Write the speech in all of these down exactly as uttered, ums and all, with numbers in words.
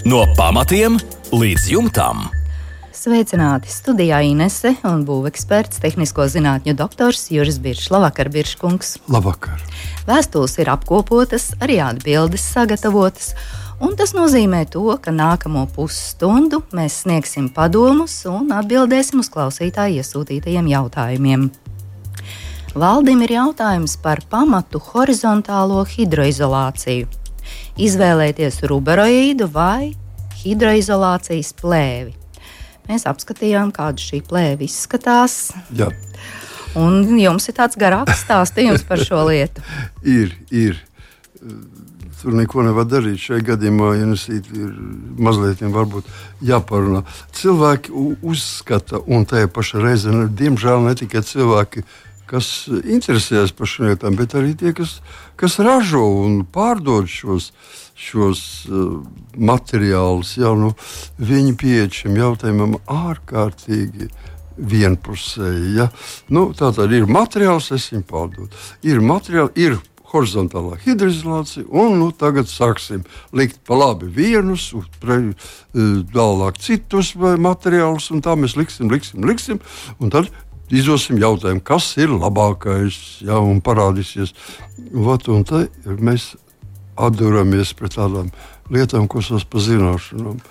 No pamatiem līdz jumtam. Sveicināti! Studijā Inese un būveksperts, tehnisko zinātņu doktors Juris Biršs. Labvakar, Birškungs! Labvakar! Vēstules ir apkopotas, arī atbildes sagatavotas, un tas nozīmē to, ka nākamo pusstundu mēs sniegsim padomus un atbildēsim uz klausītāju iesūtītajiem jautājumiem. Valdim ir jautājums par pamatu horizontālo hidroizolāciju. Izvēlēties ruberoīdu vai hidroizolācijas plēvi. Mēs apskatījām, kāda šī plēve izskatās. Jā. Un jums ir tāds garāks stāstījums par šo lietu. ir, ir. Tur neko nevar darīt. Šajā gadījumā Ienesīt ir mazliet varbūt jāparunā. Cilvēki uzskata, un tajā pašā reizē, diemžēl ne tikai cilvēki, kas interesējas par šiem lietām, bet arī tie, kas, kas ražo un pārdod šos, šos uh, materiālus. Jā, nu, viņi pieeja šim jautājumam ārkārtīgi vienpusēji. Ja? Nu, tā tad ir materiāls, es viņu pārdodu. Ir materiāli, ir horizontālā hidroizolācija, un nu, tagad sāksim likt pa labi vienus, pre, tālāk citus materiālus, un tā mēs liksim, liksim, liksim, un tad izdosim jautājumu, kas ir labākais, ja, un parādīsies. Vat, un te mēs atduramies pret tādām lietām, ko sauc par zināšanām.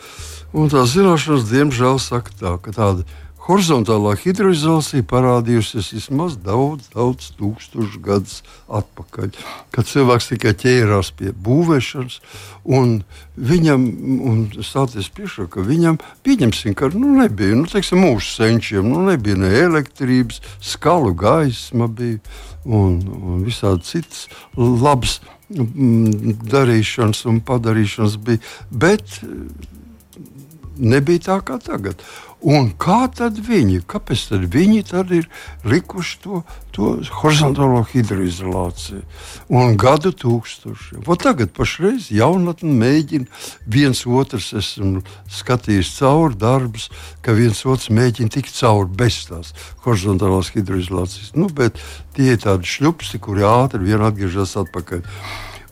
Un tās zināšanas, diemžēl, saka tā, ka tāda horizontālā hidroizolācija parādījusies vismaz daudz, daudz tūkstošu gadus atpakaļ, kad cilvēks tikai ķērās pie būvēšanas, un viņam, un stāties priekšā, ka viņam, pieņemsim, ka nu, nebija, nu, teiksim, mūsu senčiem, nu, nebija ne elektrības, skalu gaisma bija, un, un visādi citas labas darīšanas un padarīšanas bija, bet nebija tā kā tagad. Un kā tad viņi, kāpēc tad viņi tad ir likuši to, to horizontālo hidroizolāciju un gadu tūkstošiem? Vo tagad pašreiz jaunatni mēģina viens otrs, esmu skatījis cauri darbus, ka viens otrs mēģina tikt cauri bez tās horizontālās hidroizolācijas. Nu, bet tie ir tādi šļupsti, kuri ātri vien atgriežas atpakaļ.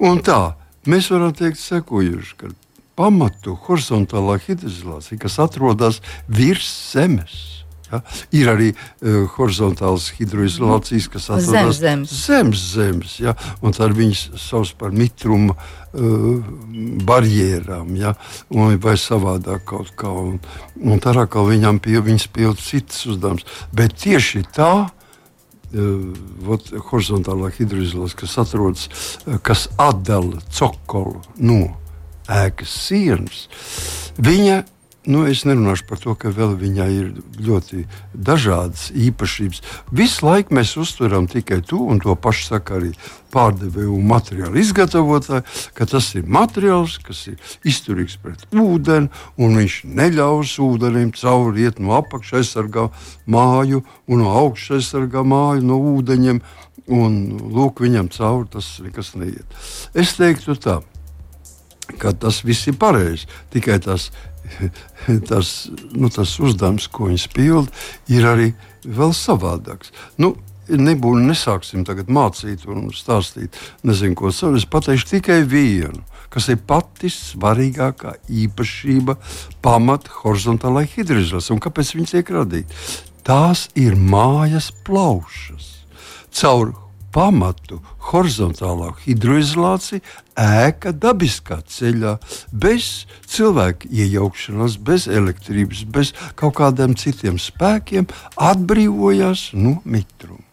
Un tā, mēs varam teikt sekojuši, ka pamatu horizontālā hidroizolācija, kas atrodas virs zemes. Ja? Ir arī uh, horizontālas hidroizolācijas, kas atrodas zem zemes. zemes, zemes ja? Un tad viņas sauc par mitruma uh, barjerām, ja? Un, vai savādāk kaut kā. Un, un tā kā viņam pie, viņas pild citas uzdevumus. Bet tieši tā, uh, vot, horizontālā hidroizolācija, kas atrodas, uh, kas atdala cokolu no ēkas sienas, viņa, nu es nerunāšu par to, ka vēl viņai ir ļoti dažādas īpašības. Visu laiku mēs uztveram tikai to, un to pašu saka arī pārdevēju un materiālu izgatavotāji, ka tas ir materiāls, kas ir izturīgs pret ūdeni, un viņš neļaus ūdenim cauri iet no apakša aizsargā māju, un no augša aizsargā māju no ūdeņiem, un lūk, viņam cauri tas nekas neiet. Es teiktu tā, ka tas viss ir pareizi. Tikai tas, tas, nu, tas uzdevums, ko viņas pilda, ir arī vēl savādāks. Nu, nebūtu, nesāksim tagad mācīt un stāstīt, nezinu, ko savu. Es pateikšu tikai vienu, kas ir pati svarīgākā īpašība pamata horizontālai hidroizolācijai. Un kāpēc viņi tiek radīti? Tās ir mājas plaušas. Caur pamatu horizontālā hidroizolācija ēka dabiskā ceļā, bez cilvēka iejaukšanās, bez elektrības, bez kaut kādiem citiem spēkiem atbrīvojās no mitruma.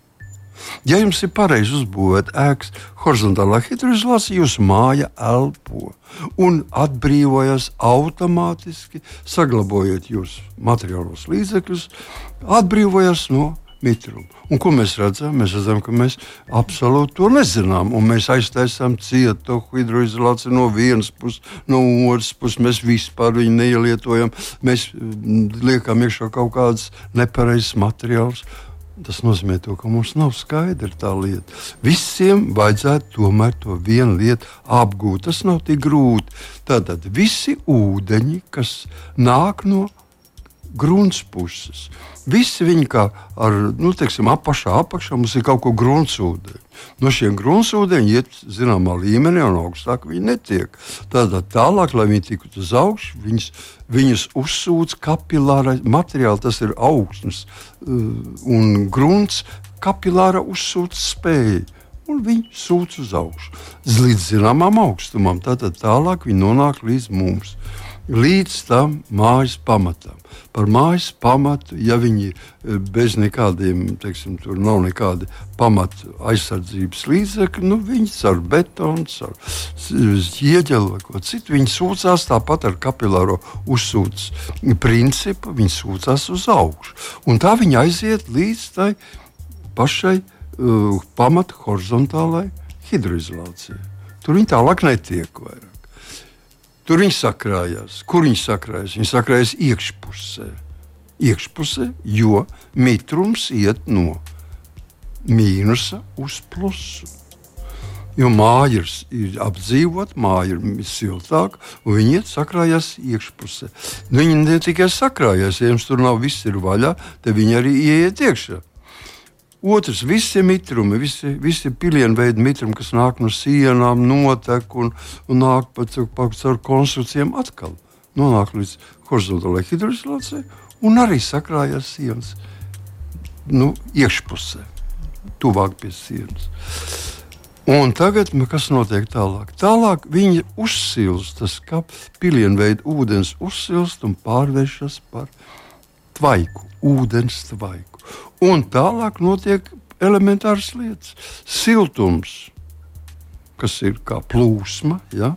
Ja jums ir pareizi uzbūvēta ēkas horizontālā hidroizolācija, jūs māja elpo un atbrīvojas automātiski, saglabājot jūsu materiālos līdzekļus, atbrīvojas no mitrumu. Un ko mēs redzam? Mēs redzam, ka mēs absolūti to nezinām. Un mēs aiztaisām cietu hidroizolāciju no vienas puses, no otras puses. Mēs vispār viņu neielietojam. Mēs liekam iekšā kaut kādas nepareizas materiālus. Tas nozīmē to, ka mums nav skaidra tā lieta. Visiem vajadzētu tomēr to vienu lietu apgūt. Tas nav tik grūti. Tātad visi ūdeņi, kas nāk no grunts puses. Visi viņi kā ar, nu, teiksim, apašā, apakšā mums ir kaut ko gruntsūdeņi. No šiem gruntsūdeņi iet zināmā līmenī un augstāk viņi netiek. Tātad tālāk, lai viņi tiktu uz augšu, viņus, viņus uzsūc kapilāra materiāli, tas ir augsnes un grunts, kapilāra uzsūc spēja. Un viņi sūc uz augšu. Līdz zināmām augstumam. Tātad tālāk viņi nonāk līdz mums. Līdz tam mājas pamatam. Par mājas pamatu, ja viņi bez nekādiem, teiksim, tur nav nekādi pamatu aizsardzības līdzekļi, nu, viņi ar betonu, ar ieģeli vai ko citu, viņi sūcās tāpat ar kapilāro uzsūc principu, viņi sūcās uz augšu. Un tā viņi aiziet līdz tai pašai uh, pamatu horizontālai hidroizolācijai. Tur viņi tālāk netiek vairāk. Tur viņi sakrājās. Kur viņi sakrājās? Viņi sakrājās iekšpusē. Iekšpusē, jo mitrums iet no mīnusa uz plusu. Jo māja ir, ir apdzīvot, māja ir siltāka, un viņi iet sakrājās iekšpusē. Nu, viņi ne tikai sakrājās, ja jums tur nav viss ir vaļā, tad viņi arī ieiet iekšā. Otrs, visi mitrumi, visi, visi pilienveidi mitrumi, kas nāk no sienām, notek un, un nāk pa caur konstrukcijām atkal. Nonāk līdz horizontālai hidroizolācijai un arī sakrājās sienas nu, iekšpusē, tuvāk pie sienas. Un tagad, kas notiek tālāk? Tālāk viņi uzsilst, tas kā pilienveida ūdens uzsilst un pārvēršas par tvaiku, ūdens tvaiku. Un tālāk notiek elementāras lietas. Siltums, kas ir kā plūsma, ja?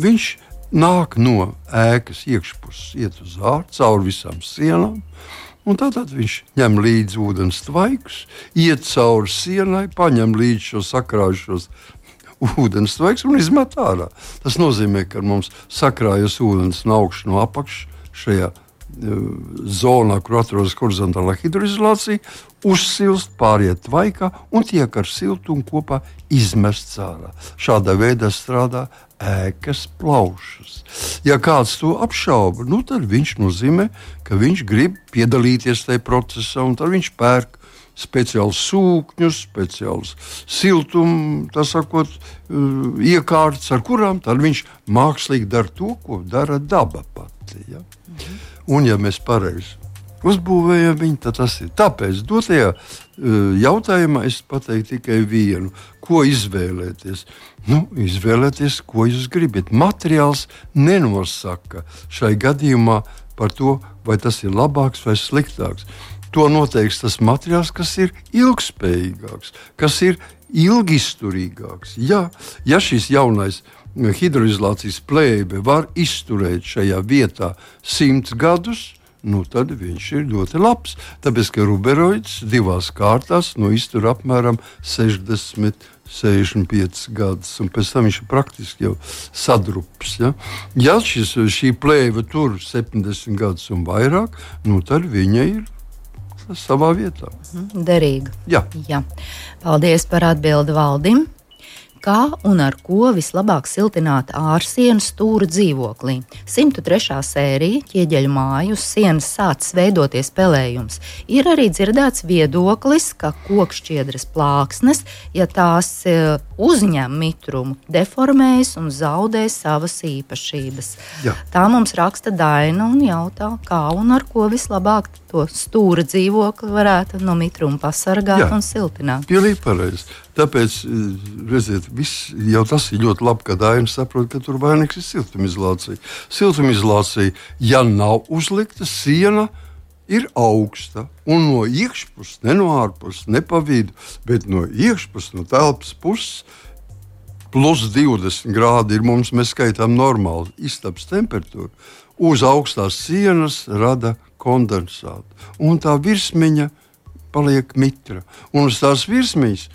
Viņš nāk no ēkas iekšpuses, iet uz ārā, cauri visām sienām, un tātad viņš ņem līdzi ūdens tvaikus, iet cauri sienai, paņem līdzi šo sakrājušos ūdens tvaikus un izmet ārā. Tas nozīmē, ka mums sakrājas ūdens no augšas, no apakšas šajā zonā, kur atrodas horizontālā hidroizolācija, uzsilst, pāriet tvaikā un tiek ar siltumu kopā izmests ārā. Šādā veidā strādā ēkas plaušas. Ja kāds to apšauba, nu, tad viņš nozīmē, ka viņš grib piedalīties tajā procesā, un tad viņš pērk speciālus sūkņus, speciālus siltumu, tā sakot, iekārtas, ar kurām tad viņš mākslīgi dara to, ko dara daba pati. Ja? Mhm. Un, ja mēs pareizi uzbūvējam viņu, tad tas ir. Tāpēc dotajā jautājumā es pateiktu tikai vienu. Ko izvēlēties? Nu, izvēlēties, ko jūs gribat. Materiāls nenosaka šai gadījumā par to, vai tas ir labāks vai sliktāks. To noteiks tas materiāls, kas ir ilgspējīgāks, kas ir ilgizturīgāks. Ja, ja šis jaunais hidroizolācijas plēbe var izturēt šajā vietā simts gadus, nu tad viņš ir ļoti labs. Tāpēc, ka ruberoids divās kārtās nu, iztur apmēram sešdesmit, sešdesmit piecus gadus, un pēc tam viņš ir praktiski jau sadrups. Ja, ja šis, šī plēve tur septiņdesmit gadus un vairāk, nu tad viņa ir savā vietā. Derīga. Jā. Jā. Paldies par atbildi Valdim. Kā un ar ko vislabāk siltināt ārsienu stūra dzīvoklī? simt trešā sērija ķieģeļu māju uz sienas sācis veidoties pelējums. Ir arī dzirdēts viedoklis, ka kokšķiedras plāksnes, ja tās uzņem mitrumu, deformējas un zaudē savas īpašības. Jā. Tā mums raksta Daina un jautā, kā un ar ko vislabāk to stūra dzīvokli varētu no mitruma pasargāt. Jā. Un siltināt. Pilnīgi pareizi. Tāpēc, redziet, viss, jau tas ir ļoti labi, ka Daina saprot, ka tur vainīgs ir siltumizolācija. Siltumizolācija, ja nav uzlikta, siena ir augsta. Un no iekšpuses, ne no ārpuses, ne pa vidu, bet no iekšpuses, no telpas puses, plus divdesmit grādi ir mums, mēs skaitām normāli istabas temperatūru. Uz augstās sienas rada kondensātu. Un tā virsmiņa paliek mitra. Un uz tās virsmiņas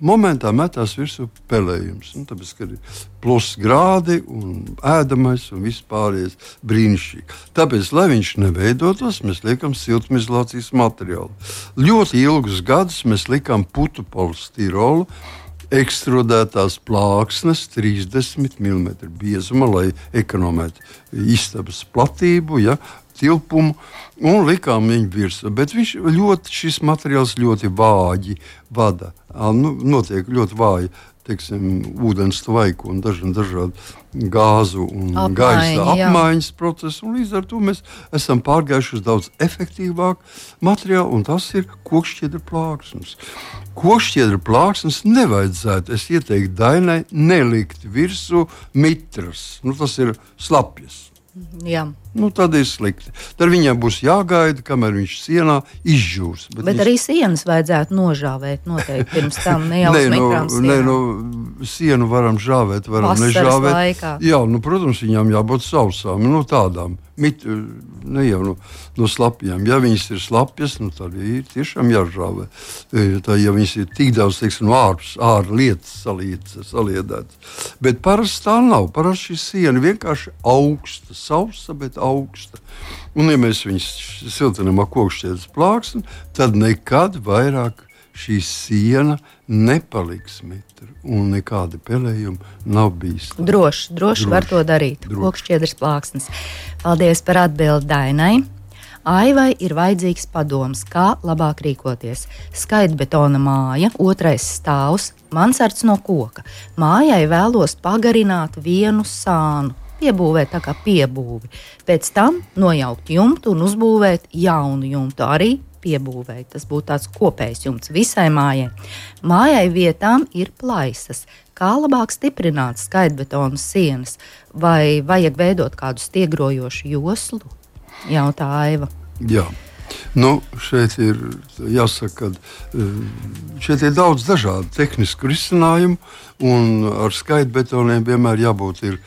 momentā metās virsū pelējums. Nu, tāpēc, ka ir plus grādi un ēdamais un viss pārējais brīnišķīgi. Tāpēc, lai viņš neveidotos, mēs liekam siltumizolācijas materiālu. Ļoti ilgus gadus mēs likām putu polistirolu, ekstrudētās plāksnes trīsdesmit milimetru biezuma, lai ekonomētu istabas platību. Ja? tilpumu un likām viņu virsū. Bet viņš ļoti, šis materiāls ļoti vāji vada. Nu, notiek ļoti vāji, teiksim, ūdens tvaiku un dažādi dažādi gāzu un Apmaiņa, gaisa apmaiņas jā. procesi. Un līdz ar to mēs esam pārgājuši uz daudz efektīvāku materiālu, un tas ir kokšķiedra plāksnes. Kokšķiedra plāksnes nevajadzētu, es ieteiktu Dainai, nelikt virsū mitras. Nu, tas ir slapjas. Jā. Nu, tad ir slikti. Tad viņam būs jāgaida, kamēr viņš sienā izžūs. Bet, Bet viņš... arī sienas vajadzētu nožāvēt noteikti pirms tam, ne jau uz mikrām sienām. Nē, nu, sienu varam žāvēt, varam Vasaras nežāvēt. Laikā. Jā, nu, protams, viņām jābūt sausām, nu, tādām. Mit, ne jau no, no slapjām. Ja viņas ir slapjas, nu, tad ir tiešām jāžāvē. Tā, ja viņas ir tik daudz, teiksim, no ārpus, ārā lietas saliedētas. Bet parasti tā nav. Parasti šī siena vienkārši augsta, sausa, bet augsta. Un, ja mēs viņus siltinām ar kokšķiedras plāksni, tad nekad vairāk šī siena nepaliks mitra un nekādi pelējumi nav bīstami. Droši, droši var to darīt. Kokšķiedras plāksnes. Paldies par atbildi Dainai. Aivai ir vajadzīgs padoms, kā labāk rīkoties. Skaitbetona māja, otrais stāvs, mansards no koka. Mājai vēlos pagarināt vienu sānu. Piebūvēt tā kā piebūvi. Pēc tam nojaukt jumtu un uzbūvēt jaunu jumtu, arī piebūvēt. Tas būtu tāds kopējs jumts visai mājai. Mājai vietām ir plaisas. Kā labāk stiprināt skaitbetonu sienas? Vai vajag veidot kādu stiegrojošu joslu? Jautā Aiva. Jā. Nu, šeit ir jāsaka, ka šeit ir daudz dažādu tehnisku risinājumu, un ar skaitbetoniem vienmēr jābūt ir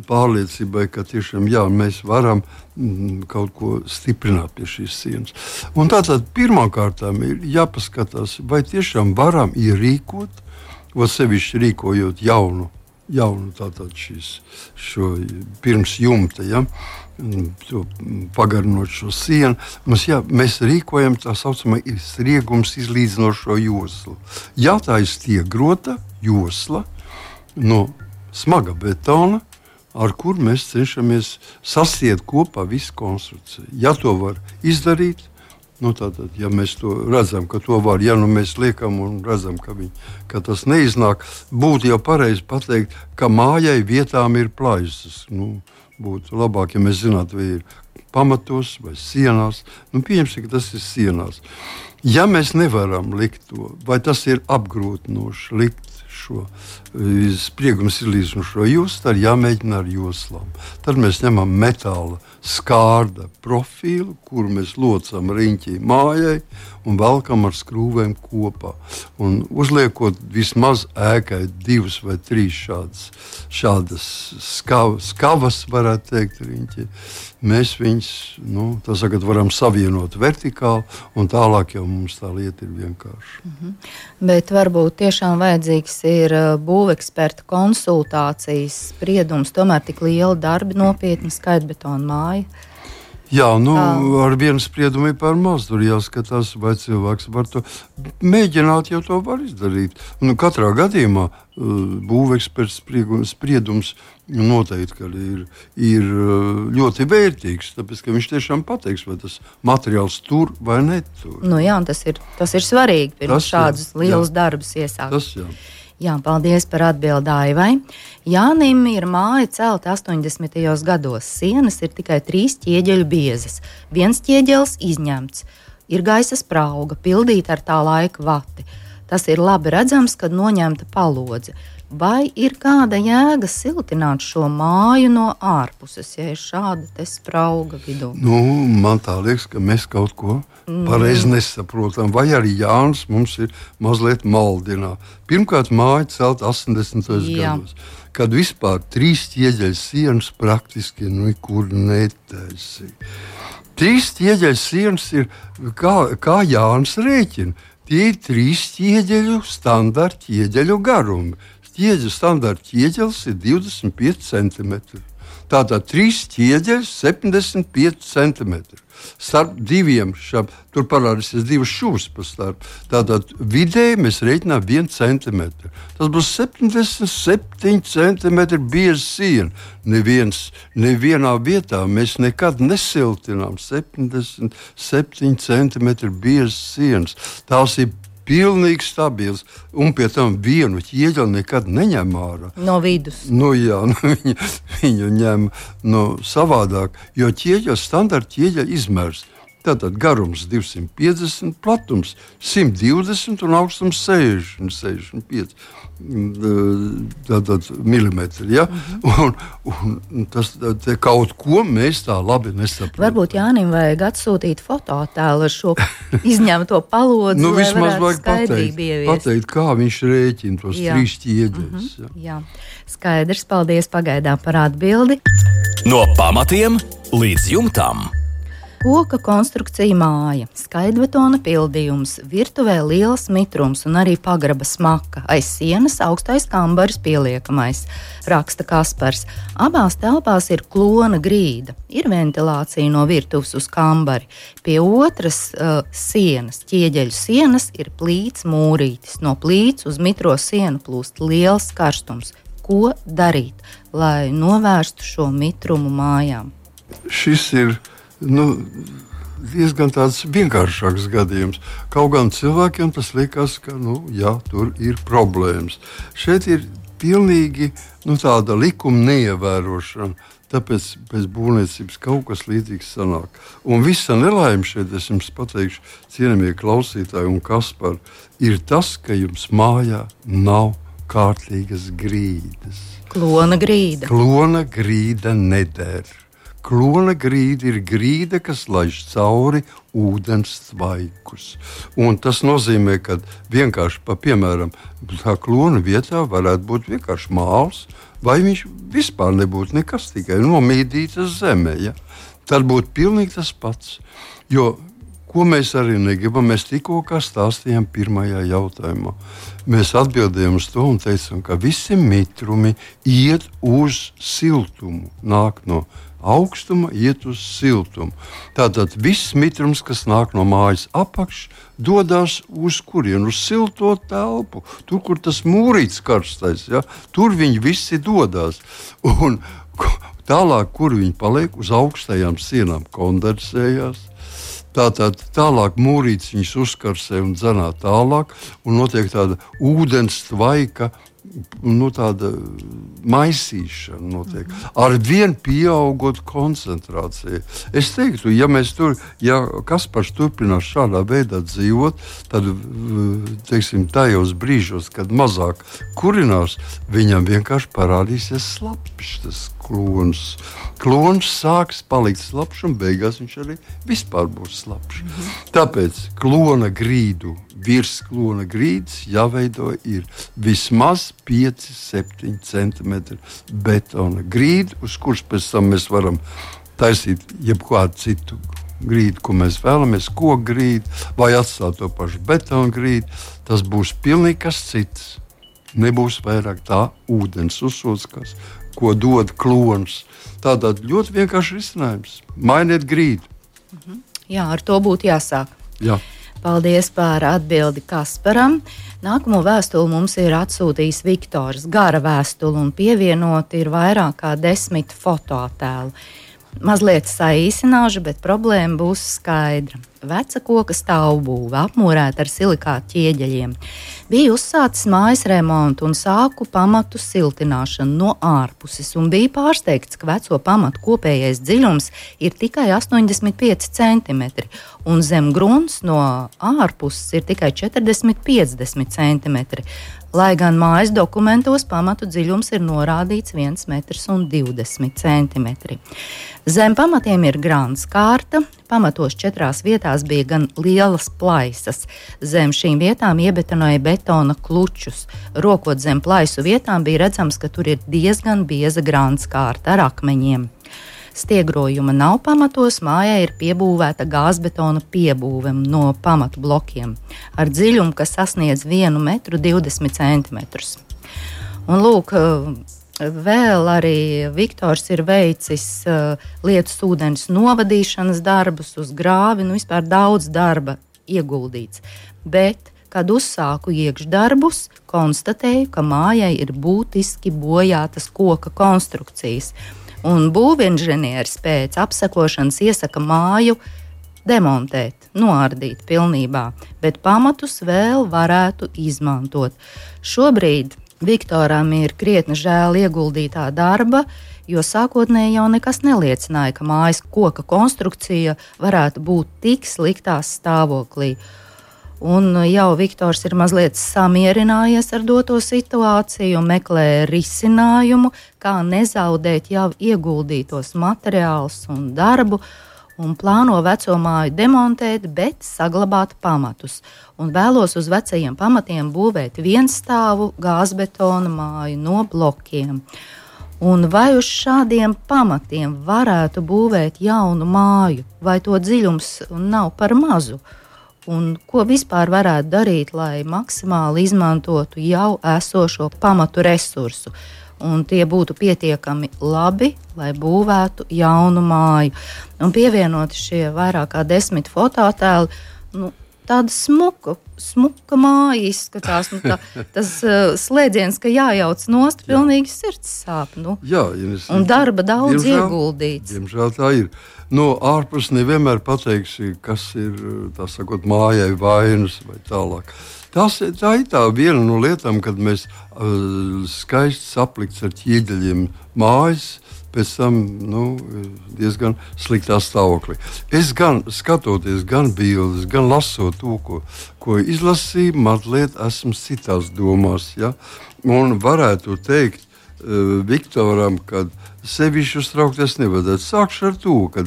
pārliecībai, ka tiešām jā, mēs varam mm, kaut ko stiprināt pie šīs sienas. Un tātad pirmkārtām ir jāpaskatās, vai tiešām varam ierīkot, vai sevišķi rīkojot jaunu, jaunu tātad šīs, šo pirms jumta, ja, pagarinot šo sienu. Mums, jā, mēs rīkojam tā saucamā striegums izlīdzinošo joslu. Ja tā ir stiegrota josla no smaga betona, ar kur mēs cenšamies sasiet kopā visu konstrukciju. Ja to var izdarīt, nu tātad, ja mēs to redzam, ka to var, ja nu mēs liekam un redzam, ka, viņi, ka tas neiznāk, būtu jau pareizi pateikt, ka mājai vietām ir plaisas. Nu, būtu labāk, ja mēs zinātu, vai ir pamatos vai sienās. Nu, pieņemsim, ka tas ir sienās. Ja mēs nevaram likt to, vai tas ir apgrūtinoši likt šo sprieguma izlīdzinošo joslu, tad jāmēģina ar joslām. Tad mēs ņemam metāla skārda profilu, kuru mēs locam riņķī mājai un velkam ar skrūvēm kopā. Un uzliekot vismaz ēkai divas vai trīs šādas, šādas skavas, skavas, varētu teikt, riņķī, mēs viņus, nu, tā sakot, varam savienot vertikāli, un tālāk jau mums tā lieta ir vienkārša. Mhm. Bet varbūt tiešām vajadzīgs ir būveksperta konsultācijas spriedums, tomēr tik liela darbi, nopietna skaitbetona māja. Jā, nu, Tā. ar vienu spriedumu ir par maz. Tur jāskatās, vai cilvēks var to mēģināt, jau to var izdarīt. Un katrā gadījumā būveksperts spriedums noteikti ir, ir ļoti vērtīgs, tāpēc, ka viņš tiešām pateiks, vai tas materiāls tur vai netur. Nu jā, tas ir, tas ir svarīgi, pirms tas, šādus jā, lielus jā. darbus iesākt. Tas, jā. Jā, paldies par atbildi Aivai. Jānim ir māja celta astoņdesmitajos gados. Sienas ir tikai trīs ķieģeļu biezas. Viens ķieģelis izņemts. Ir gaisa sprauga, pildīta ar tā laika vati. Tas ir labi redzams, kad noņemta palodze. Vai ir kāda jēga siltināt šo māju no ārpuses, ja ir šāda te sprauga vidū? Nu, man tā liekas, ka mēs kaut ko pareizi nesaprotam. Vai arī Jānis mums ir mazliet maldinā. Pirmkārt, māja celta astoņdesmitajos gados, kad vispār trīs ķieģeļu sienas praktiski nekur netaisīja. Trīs ķieģeļu sienas ir, kā, kā Jānis rēķina, tie ir trīs ķieģeļu standarta ķieģeļu garumi. Ķieģeļu standarta ķieģelis ir divdesmit pieci centimetri. Tātad trīs ķieģeļi, septiņdesmit pieci centimetri. Starp diviem šām, tur parādīsies divas šūs pa starp. Tātad vidēji mēs rēķinām vienu centimetru. Tas būs septiņdesmit septiņi centimetri bieza siena. Neviens, nevienā vietā mēs nekad nesiltinām septiņdesmit septiņi centimetri biezas sienas. Tās ir pilnīgi stabils, un pie tam vienu ķieģeli nekad neņem ārā. No vidus. Nu, jā, nu, viņu, viņu ņem no savādāk, jo ķieģeļa standarta ķieģeļa izmērs. Tātad garums divsimt piecdesmit, platums simt divdesmit un augstums sešdesmit, sešdesmit pieci tātad milimetri. Ja? Uh-huh. un, un tas te kaut ko mēs tā labi nesaprotam. Varbūt Jānim vajag atsūtīt fotoattēlu ar šo izņemto palodzi, nu, lai vismaz varētu skaidrību ieviest. Pateikt, kā viņš rēķina tos jā. trīs ķieģeļus. Uh-huh. Jā. Skaidrs, paldies pagaidām par atbildi. No pamatiem līdz jumtam. Koka konstrukcija māja, skaidbetona pildījums, virtuvē liels mitrums un arī pagraba smaka, aiz sienas augstais kambaris pieliekamais, raksta Kaspars. Abās telpās ir klona grīda, ir ventilācija no virtuves uz kambari. Pie otras uh, sienas, ķieģeļu sienas, ir plīts mūrītis. No plīts uz mitro sienu plūst liels karstums. Ko darīt, lai novērstu šo mitrumu mājām? Šis ir Nu, diezgan tāds vienkāršāks gadījums. Kaut gan cilvēkiem tas liekas, ka nu, jā, tur ir problēmas. Šeit ir pilnīgi nu, tāda likuma neievērošana, tāpēc pēc būvniecības kaut kas līdzīgs sanāk. Un visa nelaime šeit, es jums pateikšu, cienījamie klausītāji un Kaspar, ir tas, ka jums mājā nav kārtīgas grīdas. Klona grīda. Klona grīda neder. Klona grīda ir grīda, kas laiž cauri ūdens tvaikus. Un tas nozīmē, ka vienkārši, pa, piemēram, tā klona vietā varētu būt vienkārši māls, vai viņš vispār nebūtu nekas, tikai nomīdītas zemē. Ja? Tad būtu pilnīgi tas pats. Jo, ko mēs arī negribam, mēs tikko kā stāstījām pirmajā jautājumā. Mēs atbildējām uz to un teicām, ka visi mitrumi iet uz siltumu, nāk no augstuma iet uz siltumu. Tātad viss mitrums, kas nāk no mājas apakš, dodas uz kurienu? Uz silto telpu. Tur, kur tas mūrīts karstais, ja? Tur viņi visi dodas. Un tālāk, kur viņi paliek, uz augstajām sienām kondensējās. Tātad tālāk mūrīts viņus uzkarsē un dzenā tālāk, un notiek tāda ūdens tvaika, nu, tāda maisīšana notiek. Ar vien pieaugot koncentrācija. Es teiktu, ja mēs tur, ja Kaspars turpinās šādā veidā dzīvot, tad, teiksim, tajos brīžos, kad mazāk kurinās, viņam vienkārši parādīsies slapjš tas klons. Klons sāks palikt slapjš un beigās viņš arī vispār būs slapjš. Mhm. Tāpēc klona grīdu, virs klona grīdas jāveido ir vismaz pieci septiņi centimetri betona grīda, uz kuras pēc tam mēs varam taisīt jebkādu citu grīdu, ko mēs vēlamies, koku grīdu vai atstāt to pašu betona grīdu. Tas būs pilnīgi kas cits. Nebūs vairāk tā ūdens uzsūckas, ko dod klons. Tātad ļoti vienkārši risinājums. Mainiet grīdu. Mhm. Jā, ar to būtu jāsāk. Jā. Paldies par atbildi Kasparam. Nākamo vēstuli mums ir atsūtījis Viktors. Gara vēstuli un pievienot ir vairāk kā desmit fotoattēlu. Mazliet saīsināšu, bet problēma būs skaidra. Veca koka stāvbūve apmūrēta ar silikāta ķieģeļiem. Bija uzsācis mājas remontu un sāku pamatu siltināšanu no ārpuses un bija pārsteigts, ka veco pamatu kopējais dziļums ir tikai astoņdesmit pieci centimetri un zem grunts no ārpuses ir tikai četrdesmit piecdesmit centimetri. Lai gan mājas dokumentos pamatu dziļums ir norādīts viens metrs un divdesmit centimetri. Zem pamatiem ir grāns kārta, pamatos četrās vietās bija gan lielas plaisas. Zem šīm vietām iebetonoja betona klučus. Rokot zem plaisu vietām bija redzams, ka tur ir diezgan bieza grāns kārta ar akmeņiem. Stiegrojuma nav pamatos, mājai ir piebūvēta gāzbetona piebūve no pamatu blokiem ar dziļumu, kas sasniedz vienu metru divdesmit centimetrus. Un lūk, Vēl arī Viktors ir veicis uh, lietus ūdens novadīšanas darbus uz grāvi, nu vispār daudz darba ieguldīts. Bet, kad uzsāku iekšdarbus, konstatēju, ka mājai ir būtiski bojātas koka konstrukcijas. Un būvinženieris pēc apsekošanas iesaka māju demontēt, noardīt pilnībā, bet pamatus vēl varētu izmantot. Šobrīd Viktoram ir krietni žēl ieguldītā darba, jo sākotnēji jau nekas neliecināja, ka mājas koka konstrukcija varētu būt tik sliktā stāvoklī. Un jau Viktors ir mazliet samierinājies ar doto situāciju un meklē risinājumu, kā nezaudēt jau ieguldītos materiālus un darbu, un plāno veco māju demontēt, bet saglabāt pamatus. Un vēlos uz vecajiem pamatiem būvēt vienstāvu gāzbetona māju no blokiem. Un vai uz šādiem pamatiem varētu būvēt jaunu māju, vai to dziļums nav par mazu? Un ko vispār varētu darīt, lai maksimāli izmantotu jau esošo pamatu resursu, un tie būtu pietiekami labi, lai būvētu jaunu māju. Un pievienoti šie vairāk kā desmit fototēli, nu, tāda smuka, smuka māja izskatās. Nu, tā, tas uh, slēdziens, ka jājauc nost, pilnīgi sirds sāp. Nu. Jā, ja un darba daudz diemžēl, ieguldīts. Diemžēl tā ir. No ārpus nevienmēr pateiksi, kas ir, tā sakot, mājai vainas vai tālāk. Tas, tā ir tā viena no lietām, kad mēs uh, skaisti saplikts ar ķieģeļiem mājas, pēc tam nu, diezgan sliktā stāvoklī. Es gan skatoties, gan bildes, gan lasot to, ko, ko izlasīju, mazliet esmu citās domās. Ja? Un varētu teikt uh, Viktoram, kad sevišķi uztraukties nevajadzētu. Sākšu ar to, ka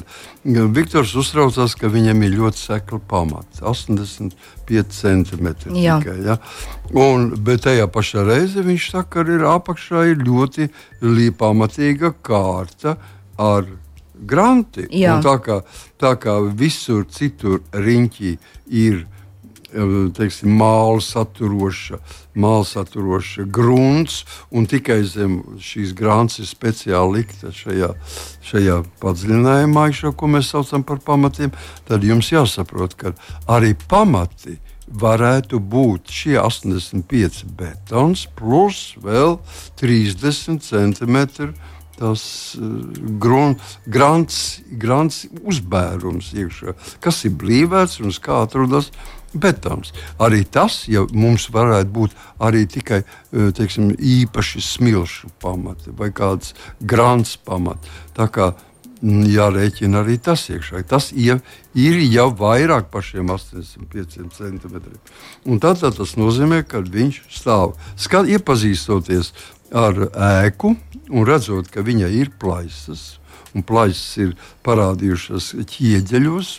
Viktors uztraucās, ka viņam ir ļoti sekla pamata, astoņdesmit pieci centimetri tikai. Ja? Un, bet tajā pašā reize viņš saka, ka ir apakšā ir ļoti pamatīga kārta ar granti. Un tā kā, tā kā visur citur riņķī ir teiksim, māla saturoša, māla saturoša grunts, un tikai zem šīs grants ir speciāli likta šajā, šajā padziļinājumā, šo, ko mēs saucam par pamatiem, tad jums jāsaprot, ka arī pamati varētu būt šie astoņdesmit pieci betons plus vēl trīsdesmit centimetri tas uh, grun, grants, grants uzbērums iekšā, kas ir blīvēts un kā atrodas betons. Arī tas, ja mums varētu būt arī tikai teiksim, īpaši smilšu pamati vai kāds grants pamati. Tā kā jārēķina arī tas iekšā. Tas ir, ir jau vairāk par šiem astoņdesmit pieciem centimetriem. Un tad, tad tas nozīmē, ka viņš stāv. Skat, iepazīstoties ar ēku un redzot, ka viņai ir plaisas, un plaisas ir parādījušas ķieģeļos,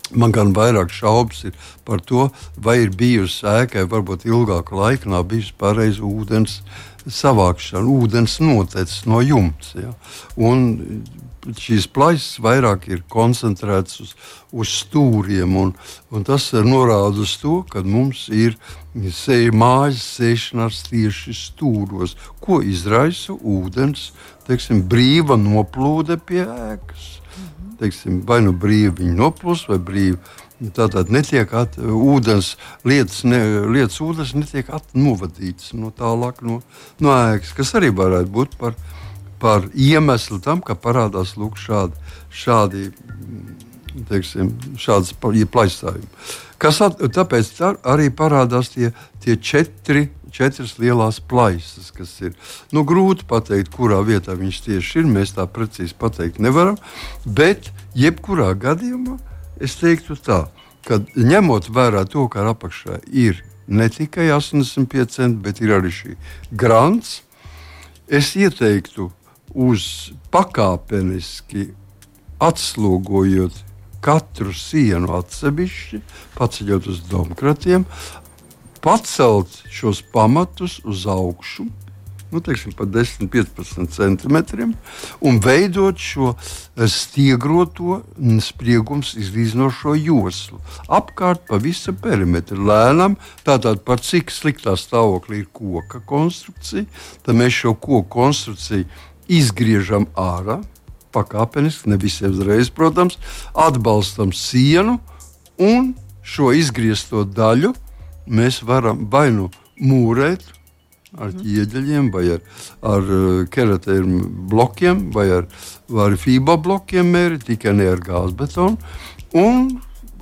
man gan vairāk šaubas ir par to, vai ir bijusi ēkai, varbūt ilgāku laiku nav bijusi pareiza ūdens savākšana, ūdens notecis no jumts. Ja? Un šīs plaisas vairāk ir koncentrētas uz, uz stūriem, un, un tas norāda uz to, ka mums ir sēja, mājas sēšanās tieši stūros, ko izraisa ūdens, teiksim, brīva noplūde pie ēkas. Teiksim, vai nu brīvi viņi noplūst, vai brīvi tātad netiek at, ūdens, lietas, ne, lietas ūdens netiek at, novadītas no tālāk no, no ēkas, kas arī varētu būt par, par iemeslu tam, ka parādās lūk šādi, šādi, teiksim, šādas plaisājumi. Kas at, tāpēc tā arī parādās tie, tie četri, četras lielās plaisas, kas ir. Nu, grūti pateikt, kurā vietā viņš tieši ir, mēs tā precīzi pateikt nevaram, bet jebkurā gadījumā es teiktu tā, ka ņemot vērā to, ka apakšā ir ne tikai astoņdesmit pieci centimetri, bet ir arī šī grants, es ieteiktu uz pakāpeniski atslogojot katru sienu atsevišķi, paceļot uz domkratiem, pacelt šos pamatus uz augšu, nu, teiksim, pa desmit līdz piecpadsmit centimetriem, un veidot šo stiegroto spriegums izlīdzinošo joslu. Apkārt pa visu perimetru lēnām, tātad par cik sliktā stāvoklī ir koka konstrukcija, tad mēs šo koku konstrukciju izgriežam ārā, pakāpeniski, ne visiem uzreiz, protams, atbalstam sienu, un šo izgriezto daļu mēs varam vai nu mūrēt ar ķieģeļiem, vai ar, ar keratēru blokiem, vai ar, vai ar fība blokiem mērīt, tikai ne ar gāzbetonu, un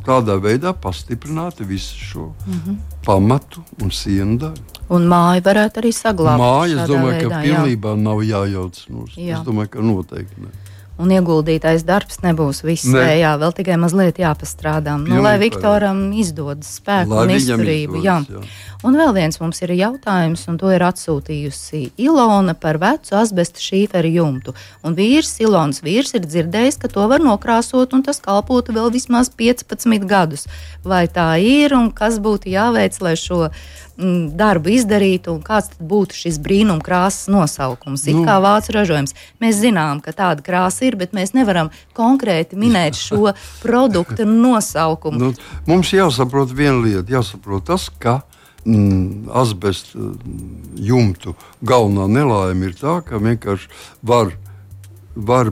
tādā veidā pastiprināt visu šo mm-hmm. pamatu un sienu daļu. Un māja varētu arī saglabāt. Māja, es domāju, veidā, ka pilnībā jā. Nav jājauc nos. Es domāju, ka noteikti ne. Un ieguldītais darbs nebūs viss ne. Vējā, vēl tikai mazliet jāpastrādā. Nu, lai Viktoram izdodas spēku lai un izturību. Jā. Jā. Un vēl viens mums ir jautājums, un to ir atsūtījusi Ilona par vecu asbesta šīferu jumtu. Un vīrs, Ilonas vīrs, ir dzirdējis, ka to var nokrāsot, un tas kalpotu vēl vismaz piecpadsmit gadus. Vai tā ir, un kas būtu jāveic, lai šo mm, darbu izdarītu, un kāds tad būtu šis brīnum krāsas nosaukums? It kā vācu ražojums. Mēs zinām, ka tāda krāsa ir, bet mēs nevaram konkrēti minēt šo produktu nosaukumu. Nu, mums jāsaprot viena lieta, jāsaprot tas, ka mm, asbesta jumtu galvenā nelaime ir tā, ka vienkārši var, var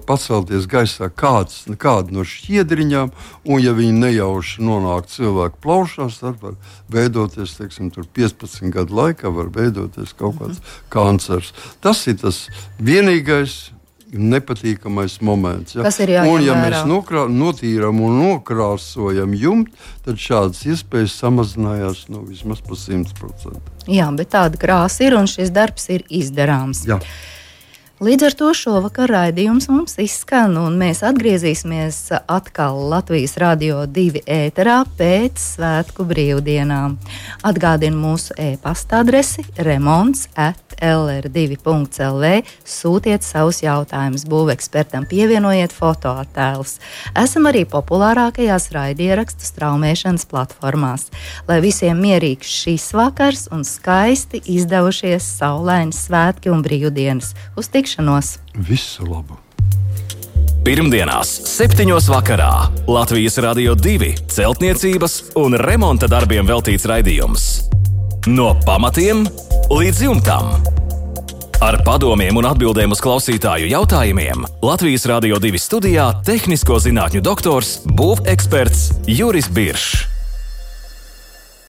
pacelties gaisā kāds, kāda no šķiedriņām, un ja viņi nejauši nonāk cilvēku plaušās, tad var veidoties, teiksim, tur piecpadsmit gadu laikā var veidoties kaut kāds mm-hmm. kancers. Tas ir tas vienīgais nepatīkamais moments. Ja? Un, ja mēs nokrā, notīram un nokrāsojam jumtu, tad šādas iespējas samazinājās nu, vismaz pa simt procenti. Jā, bet tāda krāsa ir un šis darbs ir izdarāms. Jā. Līdz ar to šovakar raidījums mums izskan, un mēs atgriezīsimies atkal Latvijas Radio divi ēterā pēc svētku brīvdienām. Atgādinu mūsu e-pasta adresi remonts at l r divi punkts l v. Sūtiet savus jautājumus būvekspertam, pievienojiet fotoattēlus. Esam arī populārākajās raidierakstu straumēšanas platformās. Lai visiem mierīgs šis vakars un skaisti izdevušies saulaini svētki un brīvdienas. Uz tikšanos! Visu labu! Pirmdienās, septiņos vakarā Latvijas Radio divi celtniecības un remonta darbiem veltīts raidījums. No pamatiem līdz jumtam. Ar padomiem un atbildēm uz klausītāju jautājumiem Latvijas Radio divi studijā tehnisko zinātņu doktors, būveksperts Juris Biršs.